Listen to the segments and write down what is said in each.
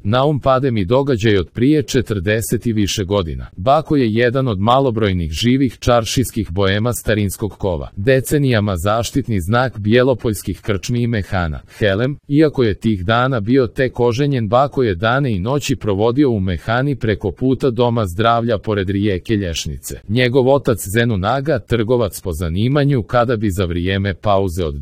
Na um pade mi događaj od prije 40 i više godina. Bako je jedan od malobrojnih živih čaršijskih boema starinskog kova. Decenijama zaštitni znak bjelopoljskih krčmi i mehana. Helem, iako je tih dana bio tek oženjen, Bako je dane i noći provodio u mehani preko puta doma zdravlja pored rijeke Lješnice. Njegov otac Zenunaga, trgovac po zanimanju, kada bi za vrijeme pauze od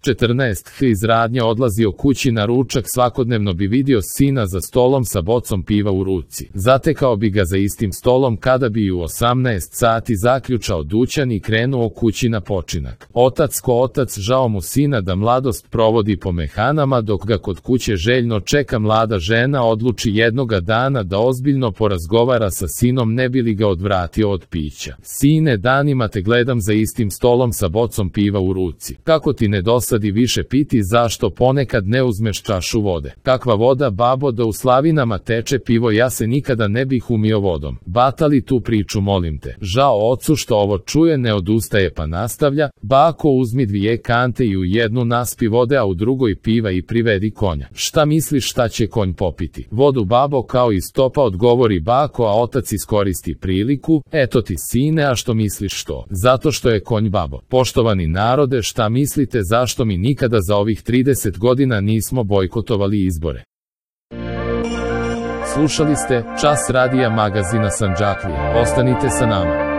14 iz radnje odlazio kući na ručak, svakodnevno bi vidio sina za stolom sa bocom piva u ruci. Zatekao bi ga za istim stolom kada bi u 18 sati zaključao dućan i krenuo kući na počinak. Otac ko otac, žao mu sina da mladost provodi po mehanama, dok ga kod kuće željno čeka mlada žena, odluči jednoga dana da ozbiljno porazgovara sa sinom, ne bi li ga odvratio od pića. Sine, danima te gledam za istim stolom sa bocom piva u ruci. Kako ti ne dosadi više piti, zašto ponekad ne uzmeš čašu vode? Kakva voda, babo, da u slavinama teče pivo, ja se nikada ne bih umio vodom. Batali tu priču, molim te. Žao ocu što ovo čuje, ne odustaje pa nastavlja: Bako, uzmi 2 kante i u jednu naspi vode, a u drugoj piva i privedi konja. Šta misliš šta će konj popiti? Vodu, babo, kao iz topa, odgovori Bako, a otac iskoristi priliku: eto ti sine, a što misliš što? Zato što je konj, babo. Poštovani narode, šta mislite zašto mi nikada za ovih 30 godina nismo bojkotovali izbore? Slušali ste Čas radija magazina Sandžaklija. Ostanite sa nama.